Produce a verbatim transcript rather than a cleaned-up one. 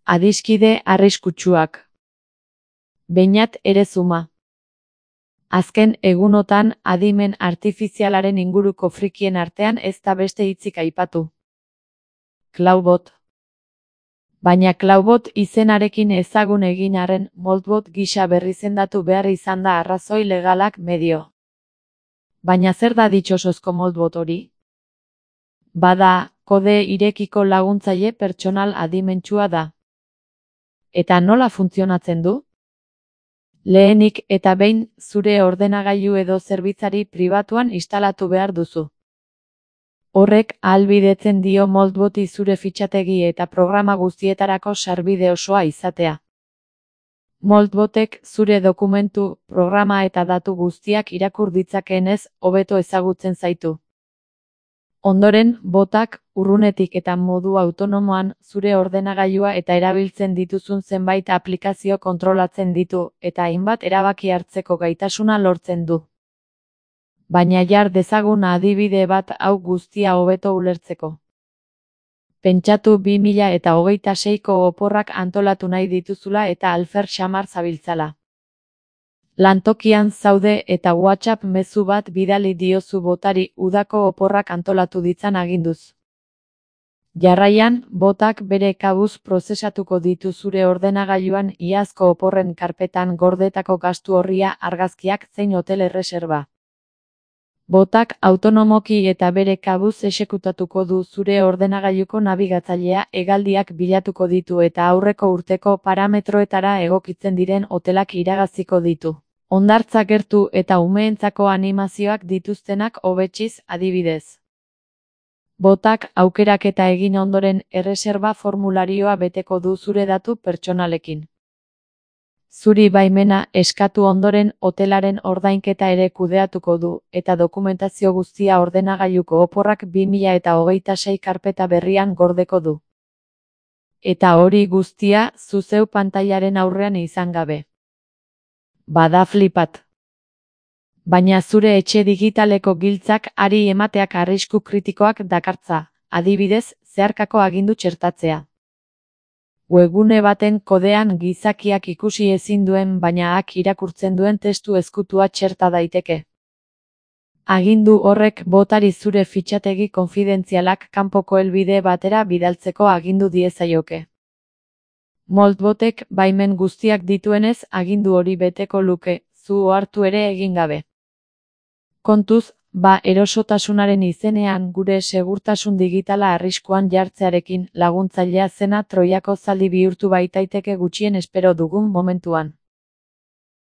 Adiskide arriskutsuak. Beñat Erezuma. Azken egunotan adimen artifizialaren inguruko frikien artean ez da beste hitzik aipatu. Cloudbot. Baina Cloudbot izenarekin ezagun egin arren Moldbot gisa berrizendatu behar izan da arrazoi legalak medio. Baina zer da ditxosozko Moldbot hori? Bada, kode irekiko laguntzaile pertsonal adimentsua da. Eta nola funtzionatzen du? Lehenik eta behin zure ordenagailu edo zerbitzari pribatuan instalatu behar duzu. Horrek ahalbidetzen dio Moldboti zure fitxategi eta programa guztietarako sarbide osoa izatea. Moldbotek zure dokumentu, programa eta datu guztiak irakur ditzakeenez hobeto ezagutzen zaitu. Ondoren, botak, urrunetik eta modu autonomoan, zure ordenagailua eta erabiltzen dituzun zenbait aplikazio kontrolatzen ditu, eta hainbat erabaki hartzeko gaitasuna lortzen du. Baina jar dezagun adibide bat hau guztia hobeto ulertzeko. Pentsatu bi mila hogeita seiko oporrak antolatu nahi dituzula eta alfer xamar zabiltzala. Lantokian zaude eta WhatsApp mezu bat bidali diozu botari udako oporrak antolatu ditzan aginduz. Jarraian, botak bere kabuz prozesatuko ditu zure ordenagailuan iazko oporren karpetan gordetako gastu orria, argazkiak zein hotel erreserba. Botak autonomoki eta bere kabuz exekutatuko du zure ordenagailuko nabigatzailea, hegaldiak bilatuko ditu eta aurreko urteko parametroetara egokitzen diren hotelak iragaziko ditu. Hondartza gertu eta umeentzako animazioak dituztenak hobetsiz adibidez. Botak aukeraketa egin ondoren erreserba formularioa beteko du zure datu pertsonalekin. Zuri baimena eskatu ondoren hotelaren ordainketa ere kudeatuko du, eta dokumentazio guztia ordenagailuko oporrak bi mila hogeita sei karpeta berrian gordeko du. Eta hori guztia zu zeu pantailaren aurrean izan gabe. Bada flipat. Baina zure etxe digitaleko giltzak ari emateak arrisku kritikoak dakartza, adibidez, zeharkako agindu txertatzea. Webgune baten kodean gizakiak ikusi ezin duen baina ak irakurtzen duen testu ezkutua txerta daiteke. Agindu horrek botari zure fitxategi konfidentzialak kanpoko helbide batera bidaltzeko agindu diezaioke. Moldbotek baimen guztiak dituenez agindu hori beteko luke, zu ohartu ere egin gabe. Kontuz, ba erosotasunaren izenean gure segurtasun digitala arriskuan jartzearekin laguntzailea zena Troiako zaldi bihurtu baitaiteke gutxien espero dugun momentuan.